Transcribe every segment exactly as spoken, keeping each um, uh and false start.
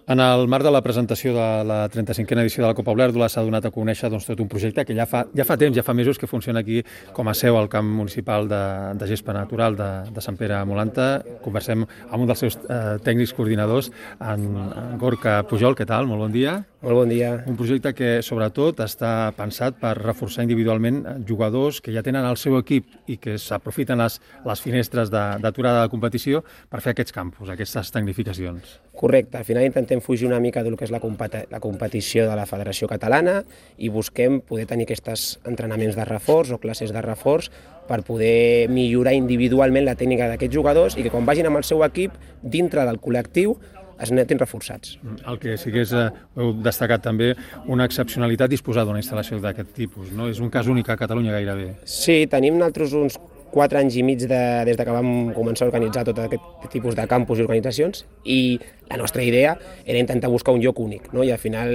En el marc de la presentació de la trenta-cinquena edició de la Copa Olèrdola s'ha donat a conèixer doncs, tot un projecte que ja fa, ja fa temps, ja fa mesos que funciona aquí com a seu al camp municipal de, de gespa natural de, de Sant Pere Molanta. Conversem amb un dels seus eh, tècnics coordinadors, en, en Gorka Pujol. Què tal? Molt bon dia. Molt bon dia. Un projecte que, sobretot, està pensat per reforçar individualment jugadors que ja tenen el seu equip i que s'aprofiten les, les finestres d'aturada de, de competició per fer aquests campus, aquestes tecnificacions. Correcte. Al final intentem fugir una mica del que és la, competi la competició de la Federació Catalana i busquem poder tenir aquests entrenaments de reforç o classes de reforç per poder millorar individualment la tècnica d'aquests jugadors i que quan vagin amb el seu equip, dintre del col·lectiu, es netin reforçats. El que sí que és, eh, heu destacat també, una excepcionalitat disposar d'una instal·lació d'aquest tipus, no? És un cas únic a Catalunya gairebé. Sí, tenim nosaltres uns quatre anys i mig de, des de que vam començar a organitzar tot aquest tipus de campus i organitzacions i la nostra idea era intentar buscar un lloc únic, no? I al final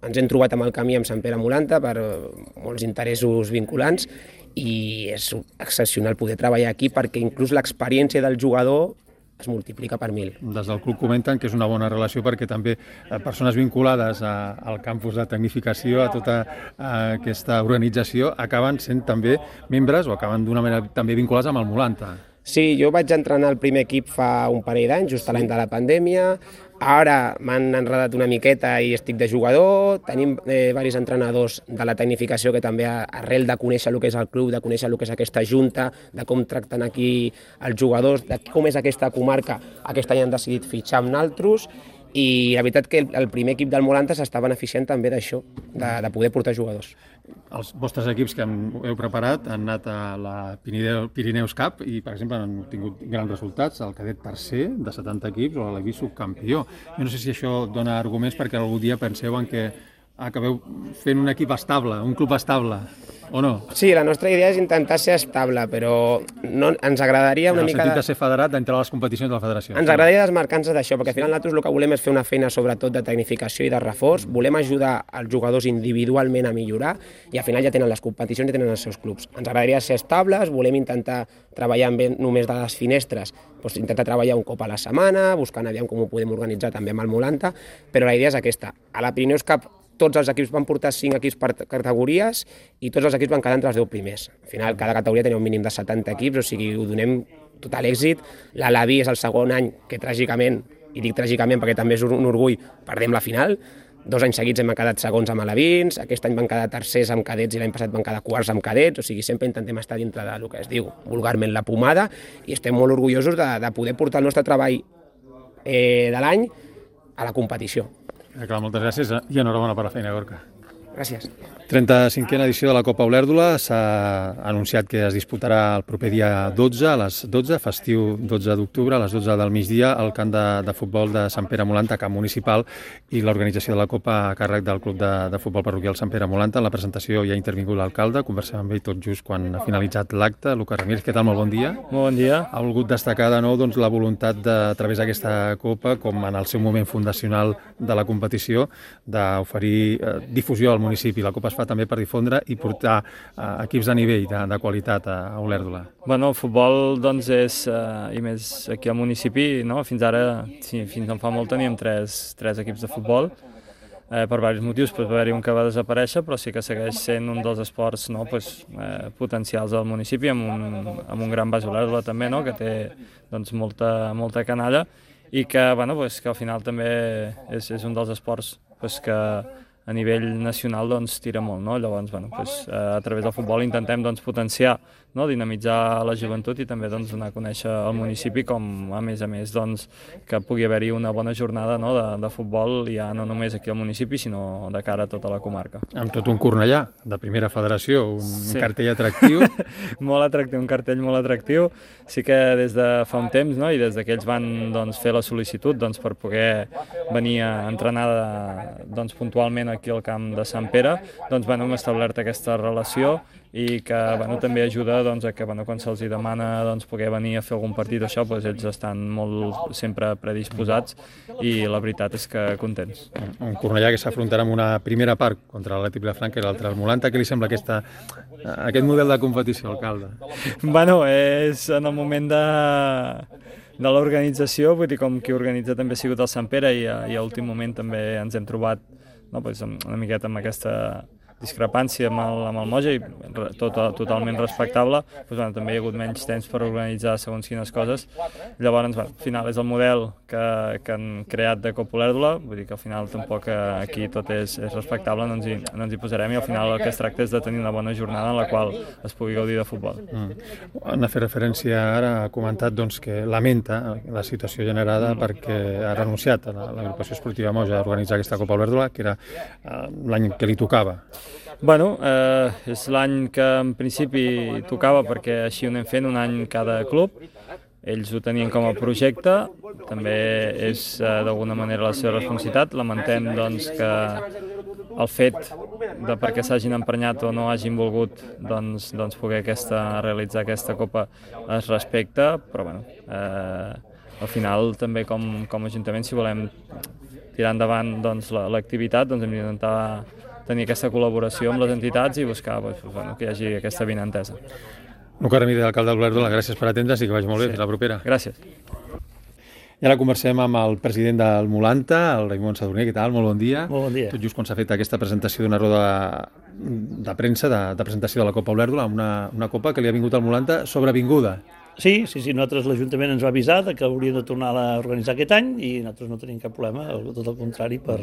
ens hem trobat amb el camí amb Sant Pere Molanta per molts interessos vinculants i és excepcional poder treballar aquí perquè inclús l'experiència del jugador es multiplica per mil. Des del club comenten que és una bona relació perquè també persones vinculades a, al campus de tecnificació, a tota a aquesta organització, acaben sent també membres o acaben d'una manera també vinculats amb el Molanta. Sí, jo vaig entrenar el primer equip fa un parell d'anys, just a l'any de la pandèmia. Ara m'han enredat una miqueta i estic de jugador. Tenim eh, diversos entrenadors de la tecnificació que també arrel de conèixer el que és el club, de conèixer el que és aquesta junta, de com tracten aquí els jugadors, de com és aquesta comarca, aquest any han decidit fitxar amb naltros i la veritat que el primer equip del Molanta s'està beneficiant també d'això, de, de poder portar jugadors. Els vostres equips que heu preparat han anat a la Pirineus Cup i, per exemple, han tingut grans resultats, el cadet tercer de setanta equips o l'Evi subcampió. Jo no sé si això dona arguments perquè algun dia penseu en que acabeu fent un equip estable, un club estable, o no? Sí, la nostra idea és intentar ser estable, però no, ens agradaria una mica... En el sentit de... de ser federat d'entrar a les competicions de la federació. Ens agradaria desmarcar-nos d'això, perquè al final nosaltres el que volem és fer una feina sobretot de tecnificació i de reforç, volem ajudar els jugadors individualment a millorar i al final ja tenen les competicions i tenen els seus clubs. Ens agradaria ser estables, volem intentar treballar amb només de les finestres, doncs intentar treballar un cop a la setmana, buscant aviam com ho podem organitzar també amb el Molanta, però la idea és aquesta. A la Pirineus Cup tots els equips van portar cinc equips per categories i tots els equips van quedar entre els deu primers. Al final, cada categoria tenia un mínim de setanta equips, o sigui, ho donem total èxit. L'Alaví és el segon any que, tràgicament, i dic tràgicament perquè també és un orgull, perdem la final. Dos anys seguits hem quedat segons amb alevins, aquest any van quedar tercers amb cadets i l'any passat van quedar quarts amb cadets, o sigui, sempre intentem estar dintre del que es diu vulgarment la pomada i estem molt orgullosos de, de poder portar el nostre treball eh, de l'any a la competició. Clar, moltes gràcies i enhorabona per la feina, Gorka. Gràcies. trenta-cinquena edició de la Copa Olèrdola s'ha anunciat que es disputarà el proper dia dotze, a les dotze, festiu dotze d'octubre, a les dotze del migdia, al camp de, de futbol de Sant Pere Molanta, camp municipal, i l'organització de la Copa a càrrec del Club de, de Futbol Parroquial Sant Pere Molanta. En la presentació hi ha intervingut l'alcalde, conversem amb ell tot just quan ha finalitzat l'acte. Lucas Ramírez, què tal? Molt bon dia. Molt bon dia. Ha volgut destacar de nou doncs, la voluntat de, a través d'aquesta Copa, com en el seu moment fundacional de la competició, d'oferir eh, difusió al municipi. La Copa es fa també per difondre i portar eh, equips de nivell, de, de qualitat a, a Olèrdola. Bueno, el futbol doncs, és, eh, i més aquí al municipi, no? Fins ara, sí, fins no fa molt teníem tres, tres equips de futbol, eh, per diversos motius, pot haver-hi un que va desaparèixer, però sí que segueix sent un dels esports, no? pues, eh, potencials del municipi, amb un, amb un gran base Olèrdola també, no? Que té doncs, molta, molta canalla i que, bueno, pues, que al final també és, és un dels esports pues, que a nivell nacional doncs, tira molt, no? Llavors, bueno, doncs, a través del futbol intentem doncs, potenciar, no? Dinamitzar la joventut i també doncs, donar a conèixer el municipi com, a més a més, doncs, que pugui haver-hi una bona jornada, no? de, de futbol, ja no només aquí al municipi, sinó de cara a tota la comarca. Amb tot un Cornellà, de primera federació, un sí. cartell atractiu. Molt atractiu, un cartell molt atractiu. Sí que des de fa un temps, no? I des que ells van doncs, fer la sol·licitud doncs, per poder venir a entrenar de, doncs, puntualment aquí al camp de Sant Pere, doncs, bueno, hem establert aquesta relació i que bueno, també ajuda doncs, a que bueno, quan se'ls demana doncs, poder venir a fer algun partit o això, doncs, ells estan molt sempre predisposats i la veritat és que contents. Un Cornellà que s'afrontarà amb una primera part contra l'Atlètic Vilafranca i l'altra el Molanta. Què li sembla aquesta, aquest model de competició, alcalde? Bueno, és en el moment de de l'organització, vull dir, com qui organitza també ha sigut el Sant Pere i a, i a últim moment també ens hem trobat, no, doncs, una miqueta amb aquesta discrepància amb el, amb el Moja i tot, totalment respectable, doncs, bueno, també hi ha hagut menys temps per organitzar segons quines coses. Llavors, bueno, al final és el model que, que han creat de Copa Olèrdola, vull dir que al final tampoc aquí tot és, és respectable, no ens, hi, no ens hi posarem i al final el que es tracta és de tenir una bona jornada en la qual es pugui gaudir de futbol. Mm. Han fet referència ara, ha comentat doncs, que lamenta la situació generada mm. perquè ha renunciat a l'agrupació esportiva Moja a organitzar aquesta Copa Olèrdola, que era uh, l'any que li tocava. Bueno, eh, és l'any que en principi tocava perquè així ho anem fent un any cada club. Ells ho tenien com a projecte, també és eh, d'alguna manera la seva responsabilitat. Lamentem doncs, que el fet de perquè s'hagin emprenyat o no hagin volgut doncs, doncs poder aquesta, realitzar aquesta Copa es respecta, però bueno, eh, al final també com, com a Ajuntament, si volem tirar endavant doncs, l'activitat, doncs hem d'intentar tenir aquesta col·laboració amb les entitats i buscar doncs, bueno, que hi hagi aquesta avinentesa. Luca Ramírez, alcalde d'Olèrdola, gràcies per atendre's i que vagi molt bé. Sí. Fins la propera. Gràcies. I ara conversem amb el president del Molanta, el Raimon Sadurní. Què tal? Molt bon dia. Molt bon dia. Tot just quan s'ha fet aquesta presentació d'una roda de premsa, de, de presentació de la Copa Olèrdola, una, una copa que li ha vingut al Molanta sobrevinguda. Sí, sí, sí, nosaltres l'Ajuntament ens va avisar que hauríem de tornar a organitzar aquest any i nosaltres no tenim cap problema, tot el contrari, per,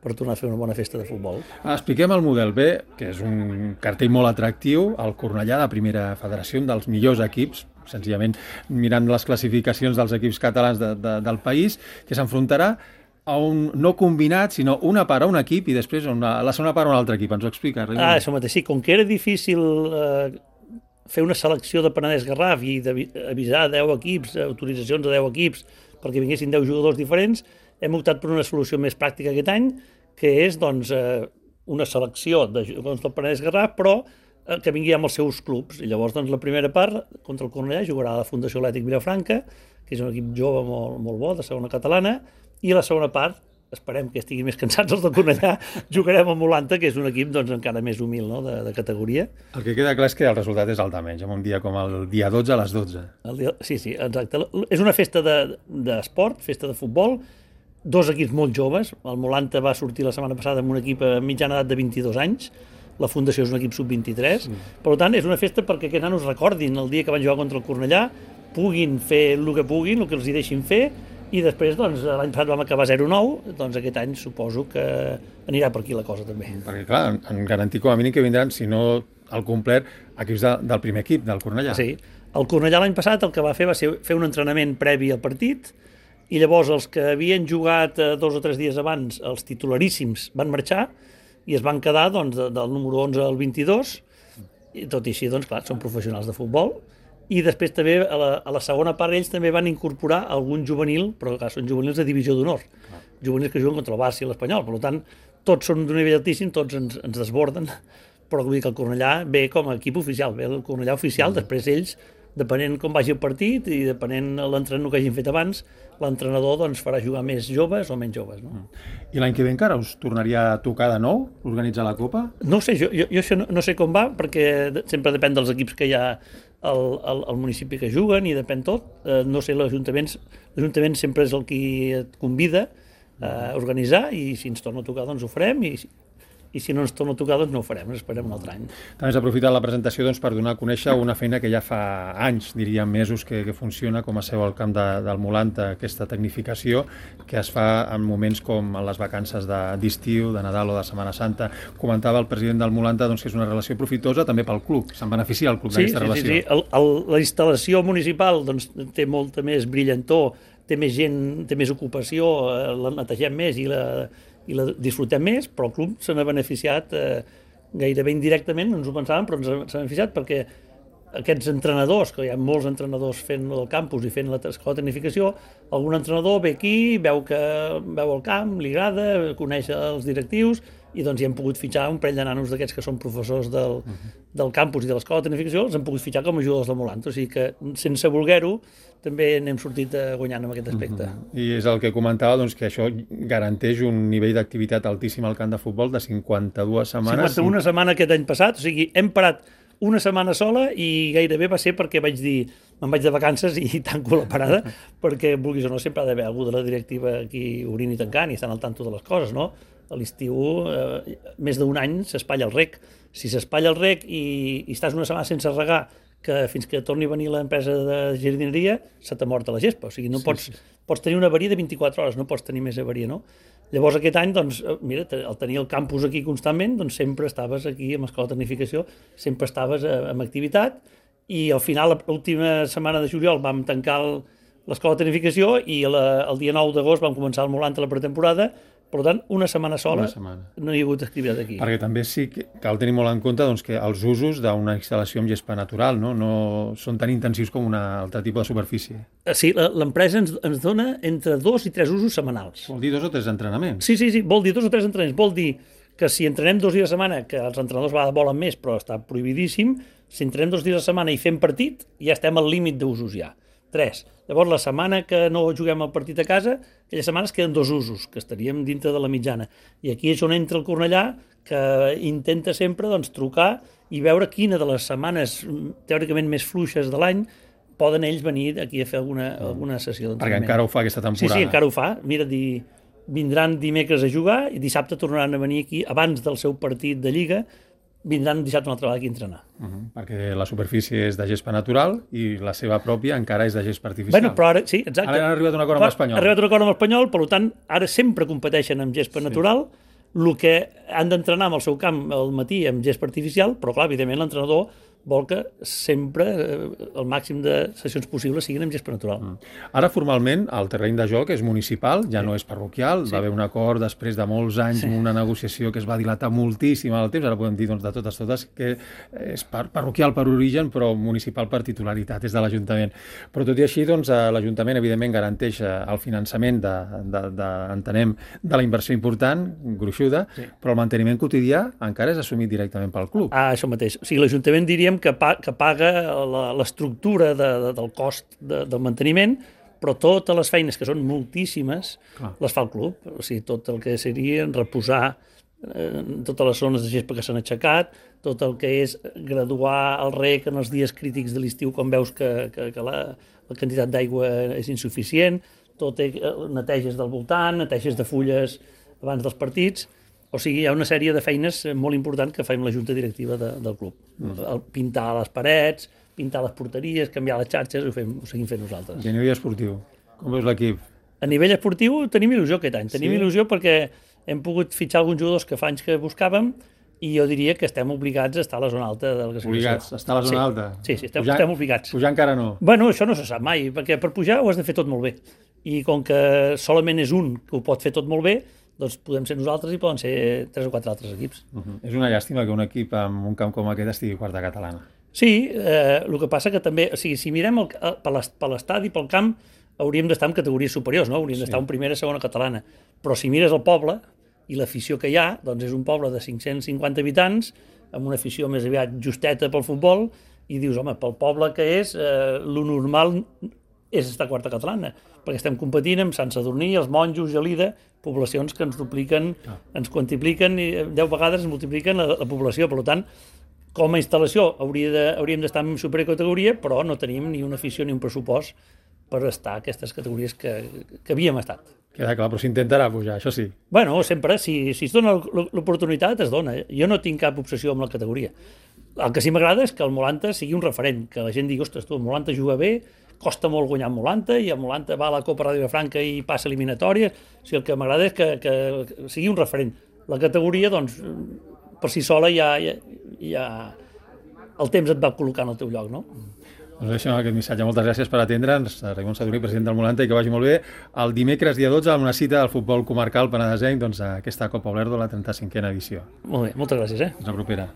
per tornar a fer una bona festa de futbol. Expliquem el model B, que és un cartell molt atractiu, el Cornellà de Primera Federació, un dels millors equips, senzillament mirant les classificacions dels equips catalans de, de, del país, que s'enfrontarà a un no combinat, sinó una part a un equip i després una, la segona part a un altre equip. Ens ho explica, Raimon? Ah, això mateix, sí, com que era difícil eh, fer una selecció de Penedès Garraf i d'avisar deu equips, autoritzacions de deu equips, perquè vinguessin deu jugadors diferents, hem optat per una solució més pràctica aquest any, que és doncs, una selecció de jugadors del Penedès Garraf, però que vingui amb els seus clubs. I llavors doncs, la primera part, contra el Cornellà, jugarà la Fundació Atlètic Vilafranca, que és un equip jove molt, molt bo, de segona catalana, i la segona part, esperem que estiguin més cansats els del Cornellà, jugarem amb Molanta, que és un equip doncs, encara més humil, no?, de, de categoria. El que queda clar és que el resultat és el de menys, en un dia com el dia dotze a les dotze. El dia, sí, sí, exacte. És una festa d'esport, de, festa de futbol, dos equips molt joves. El Molanta va sortir la setmana passada amb un equip a mitjana edat de vint-i-dos anys, la Fundació és un equip sub vint-i-tres, sí. Per tant és una festa perquè aquests nanos recordin el dia que van jugar contra el Cornellà, puguin fer el que puguin, el que els hi deixin fer, i després, doncs, l'any passat vam acabar zero nou, doncs aquest any suposo que anirà per aquí la cosa també. Perquè, clar, en garantir com a mínim que vindran, si no al complet, equips de, del primer equip, del Cornellà. Sí, el Cornellà l'any passat el que va fer va ser fer un entrenament previ al partit, i llavors els que havien jugat dos o tres dies abans, els titularíssims, van marxar i es van quedar doncs, del número onze al vint-i-dos, i tot i així, doncs, clar, són professionals de futbol. I després també, a la, a la segona part, ells també van incorporar algun juvenil, però clar, són juvenils de divisió d'honor, ah. juvenils que juguen contra el Barça i l'Espanyol, per tant, tots són d'un nivell altíssim, tots ens, ens desborden, però vull dir que el Cornellà ve com a equip oficial, ve el Cornellà oficial, mm. després ells, depenent com vagi el partit i depenent l'entrenador que hagin fet abans, l'entrenador doncs, farà jugar més joves o menys joves. No? Mm. I l'any que ve encara us tornaria a tocar de nou organitzar la Copa? No ho sé, jo, jo, jo això no, no sé com va, perquè sempre depèn dels equips que hi ha al, al, al municipi que juguen i depèn tot. Eh, no sé, l'Ajuntament l'Ajuntament sempre és el qui et convida a organitzar i si ens torna a tocar doncs ho farem i i si no ens torna a tocar, doncs no ho farem, ens esperem un altre any. També has aprofitat la presentació doncs, per donar a conèixer una feina que ja fa anys, diríem mesos, que, que funciona com a seu al camp de, del Molanta, aquesta tecnificació que es fa en moments com en les vacances d'estiu, de, de Nadal o de Setmana Santa. Comentava el president del Molanta doncs, que és una relació profitosa també pel club, se'n beneficia el club sí, d'aquesta sí, relació. Sí, sí, el, el, la instal·lació municipal doncs, té molta més brillantor, té més gent, té més ocupació, la netegem més i la i la disfrutem més, però el club se n'ha beneficiat eh, gairebé indirectament, no ens ho pensàvem, però ens s'ha beneficiat perquè aquests entrenadors, que hi ha molts entrenadors fent el campus i fent l'escola de tecnificació, algun entrenador ve aquí, veu que veu el camp, li agrada, coneix els directius, i doncs hi hem pogut fitxar un parell de nanos d'aquests que són professors del, uh-huh. del campus i de l'escola de tecnificació, els hem pogut fitxar com a jugadors del Molanta, o sigui que sense voler-ho també n'hem sortit guanyant en aquest aspecte. Uh-huh. I és el que comentava, doncs, que això garanteix un nivell d'activitat altíssim al camp de futbol de cinquanta-dues setmanes. cinquanta-una setmanes aquest any passat, o sigui, hem parat una setmana sola i gairebé va ser perquè vaig dir me'n vaig de vacances i tanco la parada, perquè, vulguis o no, sempre ha d'haver algú de la directiva aquí obrint i tancant i estan al tanto de les coses, no? A l'estiu, eh, més d'un any s'espatlla el rec. Si s'espatlla el rec i, i estàs una setmana sense regar, que fins que torni a venir l'empresa de jardineria, se t'ha mort a la gespa. O sigui, no sí, pots, sí. pots tenir una avaria de vint-i-quatre hores, no pots tenir més avaria, no? Llavors aquest any, doncs, mira, al tenir el campus aquí constantment, doncs sempre estaves aquí amb Escola de Tecnificació, sempre estaves amb activitat, i al final, l'última setmana de juliol, vam tancar l'Escola de Tecnificació i la, el dia nou d'agost vam començar el Molanta la pretemporada. Per tant, una setmana sola una setmana. No hi ha hagut activitat aquí. Perquè també sí que cal tenir molt en compte doncs, que els usos d'una instal·lació amb gespa natural no? no són tan intensius com una altre tipus de superfície. Sí, l'empresa ens, ens dona entre dos i tres usos setmanals. Vol dir dos o tres entrenaments? Sí, sí, sí, vol dir dos o tres entrenaments. Vol dir que si entrenem dos dies a setmana, que els entrenadors a vegades volen més, però està prohibidíssim, si entrenem dos dies a setmana i fem partit, ja estem al límit d'usos ja. Tres. Llavors, la setmana que no juguem el partit a casa, aquelles setmanes queden dos usos, que estaríem dintre de la mitjana. I aquí és on entra el Cornellà, que intenta sempre doncs, trucar i veure quina de les setmanes teòricament més fluixes de l'any poden ells venir aquí a fer alguna, alguna sessió d'entrenament. Perquè encara ho fa aquesta temporada. Sí, sí, encara ho fa. Mira, di, vindran dimecres a jugar i dissabte tornaran a venir aquí, abans del seu partit de Lliga, vindran dissabte una altra vegada aquí a entrenar. Uh -huh, perquè la superfície és de gespa natural i la seva pròpia encara és de gespa artificial. Bueno, però ara, sí, exacte. Ara han arribat a un acord amb l'Espanyol. Han arribat a un acord amb l'Espanyol, per tant, ara sempre competeixen amb gespa sí. natural, el que han d'entrenar amb el seu camp al matí amb gespa artificial, però clar, evidentment l'entrenador vol que sempre eh, el màxim de sessions possibles siguin amb gespa natural. Mm. Ara, formalment, el terreny de joc és municipal, ja sí. no és parroquial, sí. va haver un acord després de molts anys, sí. una negociació que es va dilatar moltíssim al temps, ara podem dir doncs, de totes totes que és par parroquial per origen, però municipal per titularitat, és de l'Ajuntament. Però tot i així, doncs, l'Ajuntament, evidentment, garanteix el finançament de, de, de, entenem, de la inversió important, gruixuda, sí. però el manteniment quotidià encara és assumit directament pel club. Ah, això mateix. O sigui, l'Ajuntament diria que, pa, que paga l'estructura de, de, del cost de, del manteniment, però totes les feines, que són moltíssimes, Clar. les fa el club. O sigui, tot el que seria reposar eh, totes les zones de gespa que s'han aixecat, tot el que és graduar el rec en els dies crítics de l'estiu quan veus que, que, que la, la quantitat d'aigua és insuficient, tot eh, neteges del voltant, neteges de fulles abans dels partits. O sigui, hi ha una sèrie de feines molt importants que fem la junta directiva de, del club. Mm. Pintar les parets, pintar les porteries, canviar les xarxes, ho, fem, ho seguim fent nosaltres. I a nivell esportiu, com veus l'equip? A nivell esportiu tenim il·lusió aquest any. Tenim sí? il·lusió perquè hem pogut fitxar alguns jugadors que fa anys que buscàvem i jo diria que estem obligats a estar a la zona alta de la classificació. Obligats a estar a la zona sí. alta? Sí, sí, estem, estem obligats. Pujar encara no? Bueno, això no se sap mai, perquè per pujar ho has de fer tot molt bé. I com que solament és un que ho pot fer tot molt bé, doncs podem ser nosaltres i poden ser tres o quatre altres equips. Uh -huh. És una llàstima que un equip amb un camp com aquest estigui quarta catalana. Sí, eh, el que passa que també, o sigui, si mirem el, per l'estadi, pel camp, hauríem d'estar en categories superiors, no? Hauríem sí. d'estar en primera, segona catalana. Però si mires el poble i l'afició que hi ha, doncs és un poble de cinc-cents cinquanta habitants, amb una afició més aviat justeta pel futbol, i dius, home, pel poble que és, eh, lo normal és estar quarta catalana, perquè estem competint amb Sant Sadurní, els Monjos, Gelida, poblacions que ens dupliquen, ah. ens quantipliquen i deu vegades ens multipliquen la, la població. Per tant, com a instal·lació hauria de, hauríem d'estar en supercategoria, però no tenim ni una afició ni un pressupost per estar a aquestes categories que, que havíem estat. Queda clar, però s'intentarà pujar, això sí. Bueno, sempre, si, si es dona l'oportunitat, es dona. Jo no tinc cap obsessió amb la categoria. El que sí m'agrada és que el Molanta sigui un referent, que la gent digui, ostres, tu, el Molanta juga bé, costa molt guanyar el Molanta, i el Molanta va a la Copa Ràdio Franca i passa eliminatòries. O sigui, el que m'agrada és que, que sigui un referent. La categoria, doncs, per si sola ja, ja, ja el temps et va col·locar en el teu lloc, no? Doncs deixem aquest missatge. Moltes gràcies per atendre'ns, Raimon Sadurní, president del Molanta, i que vagi molt bé. El dimecres, dia dotze, amb una cita del futbol comarcal penedesenc, doncs, aquesta Copa Olèrdola, la trenta-cinquena edició. Molt bé, moltes gràcies, eh? Fins la propera.